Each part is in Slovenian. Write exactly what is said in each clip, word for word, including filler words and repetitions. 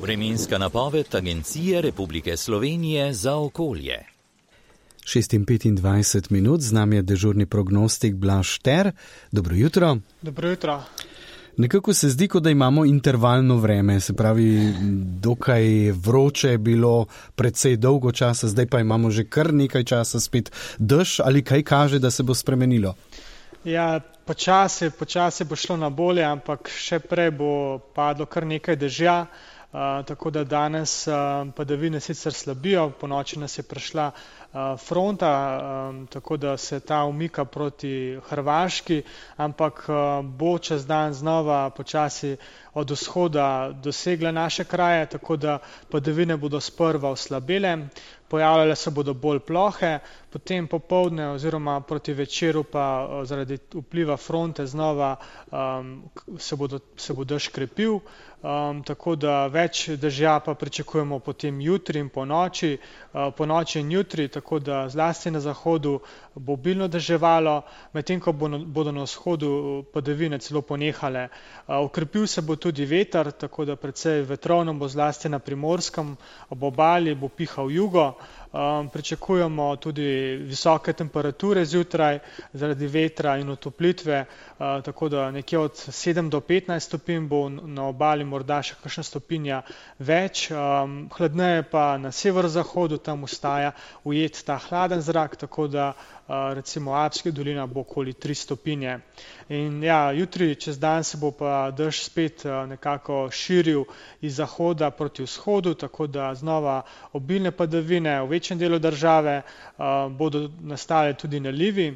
Vremenska napoved Agencije Republike Slovenije za okolje. šest in petindvajset minut, z nami je dežurni prognostik Blaž Šter. Dobro jutro. Dobro jutro. Nekako se zdi, kot da imamo intervalno vreme, se pravi, dokaj vroče je bilo precej dolgo časa, zdaj pa imamo že kar nekaj časa spet dež, ali kaj kaže, da se bo spremenilo? Ja, počasi, počasi bo šlo na bolje, ampak še prej bo padlo kar nekaj dežja, uh, tako da danes uh, padavine sicer slabijo, po noči nas je prišla uh, fronta, um, tako da se ta umika proti Hrvaški, ampak uh, bo čez dan znova počasi od vzhoda dosegla naše kraje, tako da padavine bodo sprva oslabele, pojavljale se bodo bolj plohe, potem popoldne oziroma proti večeru pa zaradi vpliva fronte znova um, se, bodo, se bo dež krepil, um, tako da več dežja pa pričakujemo potem jutri in po noči, uh, po noči in jutri, tako da zlasti na zahodu bo obilno deževalo, medtem ko bo, bodo na vzhodu padavine celo ponehale. Uh, okrepil se bo tudi veter, tako da precej vetrovno bo zlasti na Primorskem, ob obali bo pihal jugo. Um, pričakujemo tudi visoke temperature zjutraj zaradi vetra in otoplitve, uh, tako da nekje od sedem do petnajst stopinj bo na obali morda še kakšna stopinja več, um, hladneje pa na severozahodu, tam ostaja ujet ta hladen zrak, tako da uh, recimo Alpska dolina bo okoli tri stopinje. In ja, jutri čez dan se bo pa dež spet uh, nekako širil iz zahoda proti vzhodu, tako da znova obilne padavine v večjem delu države uh, bodo nastale tudi nalivi,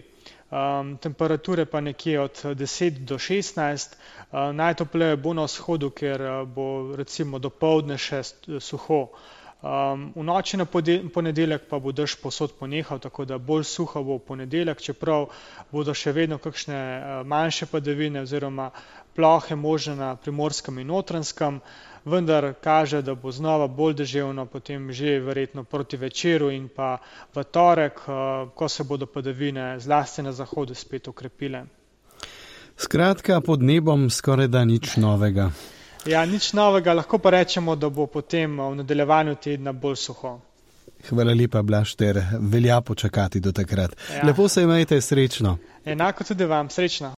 um, temperature pa nekje od deset do šestnajst, uh, najtopleje bo na vzhodu, ker uh, bo recimo dopoldne še suho. Um, v noči na ponedeljek pa bo dež povsod ponehal, tako da bolj suho bo v ponedeljek, čeprav bodo še vedno kakšne uh, manjše padavine oziroma plohe možne na Primorskem in Notranjskem, vendar kaže, da bo znova bolj deževno potem že verjetno proti večeru in pa v torek, uh, ko se bodo padavine zlasti na zahodu spet okrepile. Skratka, pod nebom skoraj da nič novega. Ja, nič novega, lahko pa rečemo, da bo potem v nadaljevanju tedna bolj suho. Hvala lepa, Blaž Šter, velja počakati do takrat. Ja. Lepo se imejte, srečno. Enako tudi vam, srečno.